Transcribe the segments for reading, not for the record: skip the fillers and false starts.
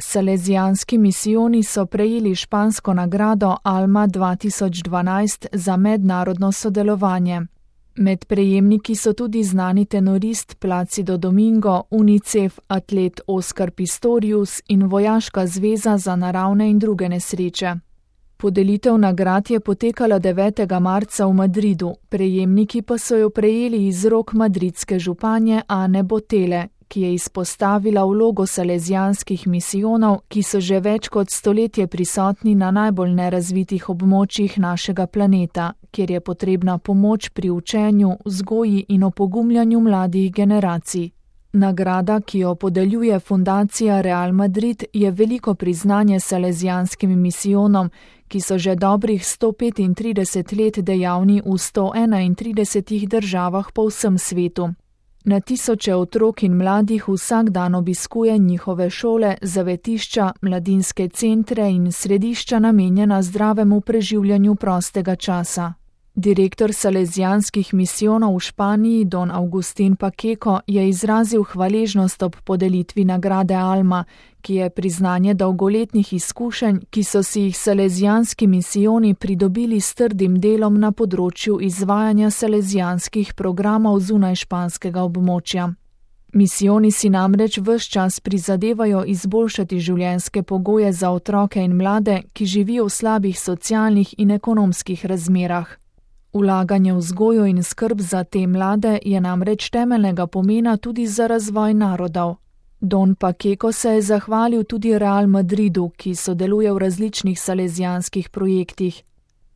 Salezijanski misijoni so prejeli špansko nagrado Alma 2012 za mednarodno sodelovanje. Med prejemniki so tudi znani tenorist Placido Domingo, UNICEF atlet Oscar Pistorius in Vojaška zveza za naravne in druge nesreče. Podelitev nagrad je potekala 9. marca v Madridu, prejemniki pa so jo prejeli iz rok madridske županje Ane Botele, ki je izpostavila vlogo salezijanskih misijonov, ki so že več kot stoletje prisotni na najbolj nerazvitih območjih našega planeta, kjer je potrebna pomoč pri učenju, vzgoji in opogumljanju mladih generacij. Nagrada, ki jo podeljuje fundacija Real Madrid, je veliko priznanje salezijanskim misijonom, ki so že dobrih 135 let dejavni v 131 državah po vsem svetu. Na tisoče otrok in mladih vsak dan obiskuje njihove šole, zavetišča, mladinske centre in središča namenjena zdravemu preživljanju prostega časa. Direktor salezijanskih misijonov v Španiji, don Agustín Pacheco, je izrazil hvaležnost ob podelitvi nagrade Alma, ki je priznanje dolgoletnih izkušenj, ki so si jih salezijanski misijoni pridobili s trdim delom na področju izvajanja salezijanskih programov zunaj španskega območja. Misijoni si namreč ves čas prizadevajo izboljšati življenjske pogoje za otroke in mlade, ki živijo v slabih socialnih in ekonomskih razmerah. Vlaganje v vzgojo in skrb za te mlade je namreč temeljnega pomena tudi za razvoj narodov. Don Pacheco se je zahvalil tudi Real Madridu, ki sodeluje v različnih salezijanskih projektih.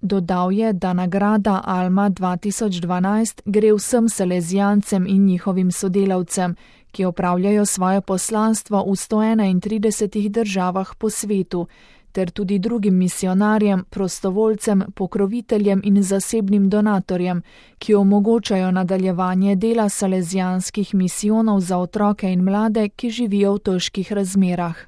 Dodal je, da nagrada Alma 2012 gre vsem salezijancem in njihovim sodelavcem, ki opravljajo svoje poslanstvo v 131 državah po svetu, ter tudi drugim misijonarjem, prostovoljcem, pokroviteljem in zasebnim donatorjem, ki omogočajo nadaljevanje dela salezijanskih misijonov za otroke in mlade, ki živijo v težkih razmerah.